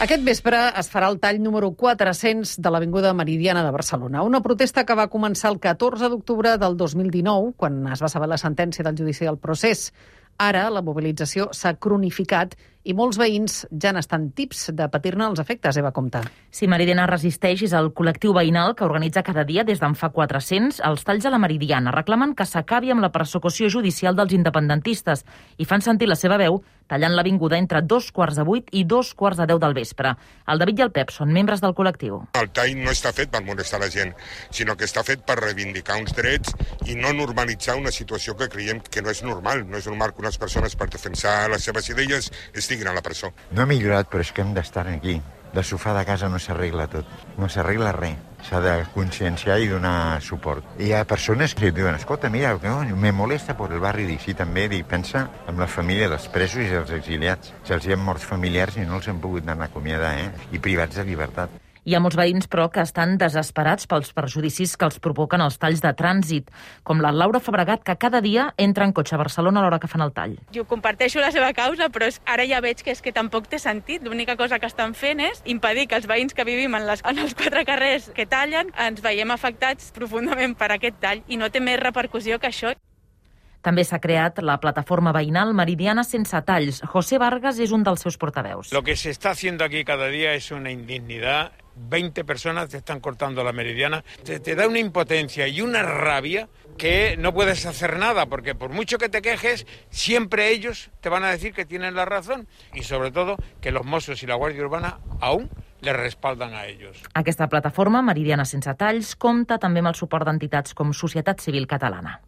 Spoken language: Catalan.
Aquest vespre es farà el tall número 400 de l'Avinguda Meridiana de Barcelona. Una protesta que va començar el 14 d'octubre del 2019, quan es va saber la sentència del judici del procés. Ara la mobilització s'ha cronificat i molts veïns ja n'estan tips de patir-ne els efectes, Eva Compte. Si Meridiana Resisteix és el col·lectiu veïnal que organitza cada dia des d'en fa 400 els talls a la Meridiana. Reclamen que s'acabi amb la persecució judicial dels independentistes i fan sentir la seva veu tallant l'avinguda entre 7:45 i 7:45 del vespre. El David i el Pep són membres del col·lectiu. El tall no està fet per molestar la gent, sinó que està fet per reivindicar uns drets i no normalitzar una situació que creiem que no és normal. No és normal que unes persones, per defensar les seves idees, estiguin a la presó. No ha millorat, però és que hem d'estar aquí. De sofà de casa no s'arregla tot, no s'arregla res. S'ha de conscienciar i donar suport. Hi ha persones que diuen, escolta, mira, me molesta per el barri d'Ixí també, i pensa en la família dels presos i dels exiliats. Se'ls hi han morts familiars i no els han pogut anar a acomiadar, i privats de llibertat. Hi ha molts veïns, però, que estan desesperats pels perjudicis que els provoquen els talls de trànsit, com la Laura Fabregat, que cada dia entra en cotxe a Barcelona a l'hora que fan el tall. Jo comparteixo la seva causa, però ara ja veig que és que tampoc té sentit. L'única cosa que estan fent és impedir que els veïns que vivim en els 4 carrers que tallen ens veiem afectats profundament per aquest tall i no té més repercussió que això. També s'ha creat la plataforma veïnal Meridiana Sense Talls. José Vargas és un dels seus portaveus. Lo que se está haciendo aquí cada día es una indignidad. 20 personas te están cortando la Meridiana. Te da una impotencia y una rabia que no puedes hacer nada, porque por mucho que te quejes, siempre ellos te van a decir que tienen la razón. Y sobre todo, que los Mossos y la Guàrdia Urbana aún les respalden a ells. Aquesta plataforma, Meridiana Sense Talls, compta també amb el suport d'entitats com Societat Civil Catalana.